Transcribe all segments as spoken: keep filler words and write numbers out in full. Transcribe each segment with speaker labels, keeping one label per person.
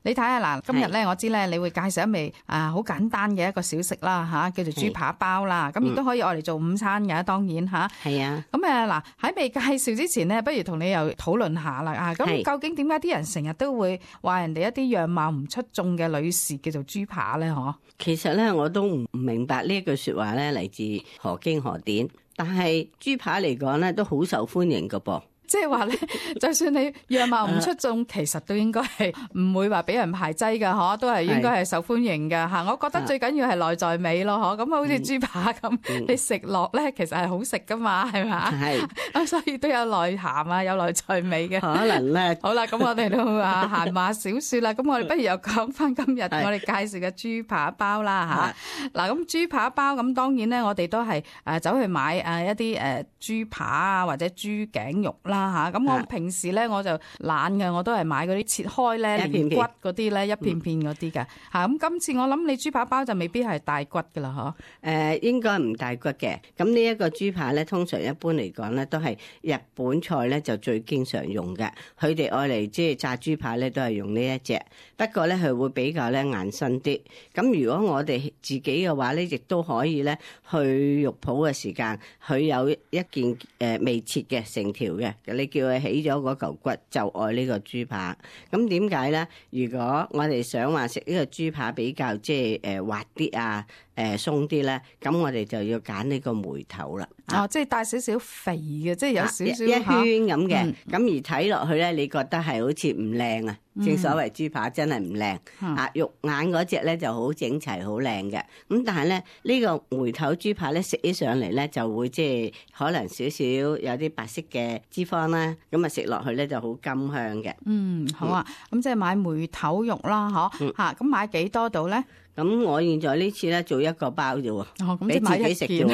Speaker 1: 你睇下嗱，今日咧我知咧你會介紹一味啊好簡單嘅一個小食啦嚇，叫做豬扒包啦。咁亦都可以愛嚟做午餐嘅，當然嚇。
Speaker 2: 係啊。
Speaker 1: 咁誒嗱喺未介紹之前呢，不如同你又討論下啦啊！咁究竟點解啲人成日都會話人哋一啲樣貌唔出眾嘅女士叫做豬扒咧？嗬，
Speaker 2: 其實咧我都唔明白呢一句説話咧嚟自何經何典，但係豬扒嚟講咧都好受歡迎㗎噃。
Speaker 1: 即係話咧，就算你樣貌唔出眾，其實都應該係唔會話俾人排擠㗎，嗬，都係應該係受歡迎㗎嚇。我覺得最緊要係內在美咯，嗬。咁好似豬扒咁，嗯、你食落咧其實係好食㗎嘛，係嘛？係。咁所以都有內涵啊，有內在美嘅。
Speaker 2: 可能咧。
Speaker 1: 好啦，咁我哋都啊閒話少説啦。咁我哋不如又講翻今日我哋介紹嘅豬扒包啦嚇。嗱，咁豬扒包咁當然咧，我哋都係誒走去買誒一啲誒豬扒啊或者豬頸肉啦。吓，咁我平時咧我就懶嘅，我都係買嗰啲切開咧連骨嗰啲咧一片片嗰啲嘅吓。咁今次我諗你豬扒包就未必係大骨噶啦，嗬？誒、
Speaker 2: 呃，應該唔大骨嘅。咁呢一個豬扒咧，通常一般嚟講咧都係日本菜咧就最經常用嘅。佢哋愛嚟即係炸豬扒咧都係用呢一隻，不過咧佢會比較咧硬身啲。咁如果我哋自己嘅話咧，亦都可以咧去肉鋪嘅時間，佢有一件誒、呃、未切嘅成條嘅。你叫佢起咗嗰嚿骨，就愛呢個豬扒。咁點解咧？如果我哋想話食呢個豬扒比較即係誒滑啲啊，誒鬆啲咧，咁我哋就要揀呢個梅頭啦。
Speaker 1: 哦，即係帶少少肥嘅，即係有少少
Speaker 2: 一圈咁嘅。咁、嗯、而睇落去咧，你覺得係好似唔靚啊？正所謂豬扒真係唔靚啊，肉眼嗰隻咧就好整齊好靚嘅。咁但係咧呢、這個梅頭豬扒咧食起上嚟咧就會即係可能少少有啲白色嘅脂肪啦，咁啊食落去咧就好甘香嘅。
Speaker 1: 嗯，好啊，咁、嗯、即係買梅頭肉啦，嗬吓，咁買幾多度咧？
Speaker 2: 咁我現在呢次咧做一個包啫喎，
Speaker 1: 哦，咁
Speaker 2: 即係買自己食啫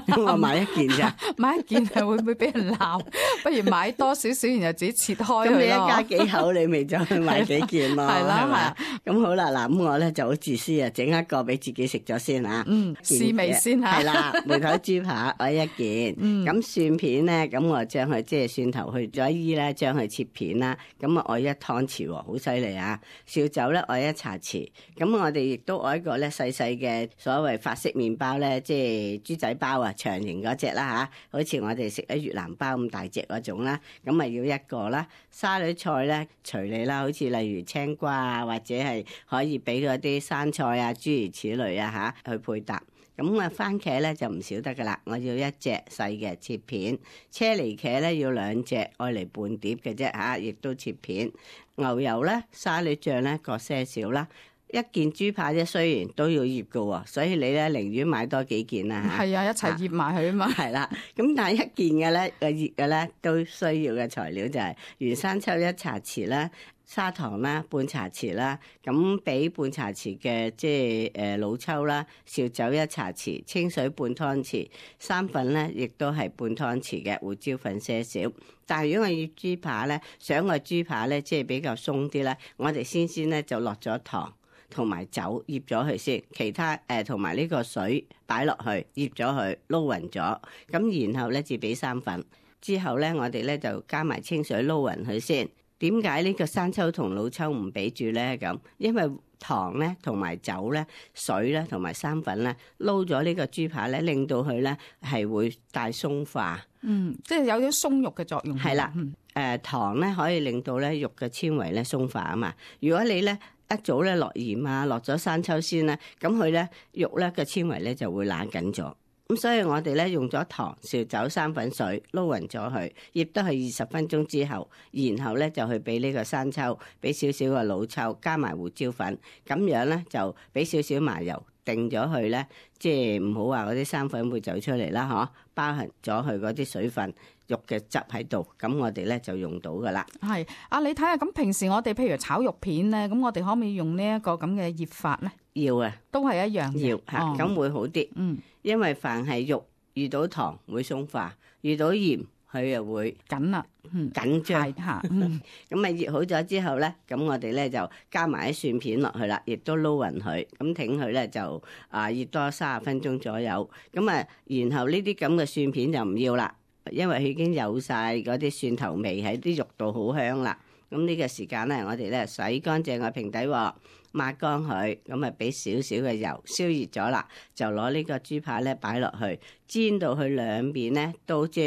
Speaker 2: 喎，我買一件咋？
Speaker 1: 買一件係會唔會俾人鬧？不如買多少少，然後自己切開佢咯。
Speaker 2: 咁你一家幾口，你咪就去買幾件咯，係啦，係嘛？咁好啦，嗱，咁我咧就好自私啊，整一個俾自己食咗先啊。嗯，
Speaker 1: 試味先嚇。係啦，
Speaker 2: 梅頭豬扒我一件。嗯。咁蒜片咧，咁我將佢即係蒜頭去咗衣咧，將佢切片啦。咁啊，我一湯匙喎，好犀利啊！紹酒咧，我一茶匙。咁我哋亦都我。一個咧細細嘅所謂法式麵包咧，即係豬仔包啊，長形嗰隻啦吓，好似我哋食喺越南包咁大隻嗰種啦，咁咪要一個啦。沙律菜咧隨你啦，好似例如青瓜啊，或者係可以俾嗰啲生菜啊，諸如此類啊吓去配搭。咁啊，番茄咧就唔少得噶啦，我要一隻細嘅切片。車厘茄咧要兩隻，愛嚟半碟嘅啫吓，亦都切片。牛油咧、沙律醬咧各些少啦。一件豬扒啫，雖然都要醃㗎喎，所以你咧寧願買多幾件啦嚇。係
Speaker 1: 啊，一齊醃埋佢啊嘛。係
Speaker 2: 啦，咁但係一件嘅咧，個醃嘅咧都需要嘅材料就係原生抽一茶匙啦，砂糖啦半茶匙啦，咁俾半茶匙嘅即係誒老抽啦，紹酒一茶匙，清水半湯匙，生粉咧亦都係半湯匙嘅胡椒粉些少。但係如果我醃豬扒咧，想個豬扒咧即係比較鬆啲咧，我哋先先咧就落咗糖。同埋酒醃咗佢先，其他誒同埋呢個水擺落去醃咗佢撈勻咗，咁然後咧至俾生粉，之後咧我哋咧就加埋清水撈勻佢先。點解呢個生抽同老抽唔俾住咧？咁因為糖咧同埋酒咧、水咧同埋生粉咧撈咗呢個豬扒咧，令到佢咧係會帶鬆化。嗯，
Speaker 1: 即係有啲鬆肉嘅作用。
Speaker 2: 係啦，誒、
Speaker 1: 嗯
Speaker 2: 呃、糖咧可以令到咧肉嘅纖維咧鬆化啊嘛。如果你咧一早咧落鹽啊，落咗生抽先咧，咁佢咧肉咧嘅纖維咧就會冷緊咗。咁所以我哋咧用咗糖、紹酒、生粉水撈勻咗佢，醃得係二十分鐘之後，然後咧就去俾呢個生抽，俾少少嘅老抽，加埋胡椒粉，咁樣咧就俾少少麻油定咗佢咧，即係唔好話嗰啲生粉會走出嚟啦，嗬，包含咗佢嗰啲水分。肉嘅汁喺度，咁我哋咧就用到噶啦。
Speaker 1: 係啊，你睇下咁平時我哋譬如炒肉片咧，咁我哋可唔可以用呢一個咁嘅醃法咧？
Speaker 2: 要啊，
Speaker 1: 都係一樣嘅。
Speaker 2: 要嚇，咁、哦、會好啲。嗯，因為凡係肉遇到糖會鬆化，遇到鹽佢又會
Speaker 1: 緊啦，嗯，
Speaker 2: 緊張
Speaker 1: 嚇。
Speaker 2: 咁啊醃好咗之後咧，咁我哋咧就加埋啲蒜片落去啦，亦都撈勻佢，咁挺佢咧就啊醃多三十分鐘左右。咁啊，然後呢啲咁嘅蒜片就唔要啦。因為佢已經有晒嗰啲蒜頭味喺啲肉度，好香啦。咁呢個時間咧，我哋咧洗乾淨個平底鑊，抹乾佢，咁啊俾少少嘅油燒熱咗啦，就攞呢個豬扒咧擺落去，煎到佢兩邊咧都即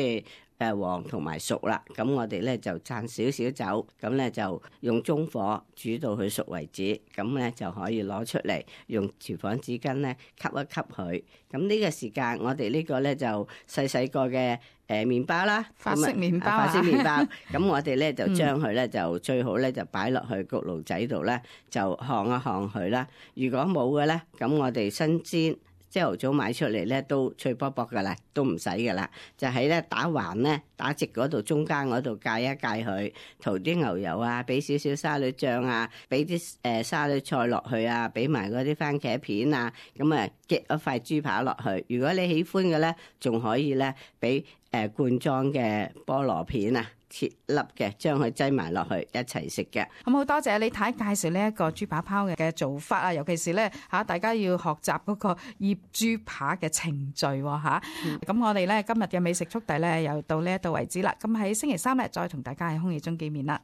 Speaker 2: 係誒黃同埋熟啦。咁我哋咧就灒少少酒，咁咧就用中火煮到佢熟為止，咁咧就可以攞出嚟，用廚房紙巾咧吸一吸佢。咁呢個時間我哋呢個咧就細細個嘅誒麵包啦，
Speaker 1: 法式麵包啊，
Speaker 2: 法式麵包。咁我哋咧就將佢咧就最好咧就擺落去焗爐仔度咧，就烘一烘佢啦。如果冇嘅咧，咁我哋新鮮朝頭早買出嚟咧都脆卜卜噶啦，都唔使噶啦。就喺咧打橫咧打直嗰度中間嗰度界一界佢，塗啲牛油啊，俾少少沙律醬啊，俾啲誒沙律菜落去啊，俾埋嗰啲番茄片啊，咁啊夾一塊豬扒落去。如果你喜歡嘅咧，仲可以咧俾誒罐裝嘅菠蘿片啊，切粒嘅，將佢擠埋落去一齊食嘅。
Speaker 1: 咁好多謝李太介紹呢一個豬扒泡嘅嘅做法啊，尤其是咧嚇大家要學習嗰個醃豬扒嘅程序喎嚇。咁、嗯、我哋咧今日嘅美食速遞咧又到呢一度為止啦。咁喺星期三咧再同大家喺空氣中見面啦。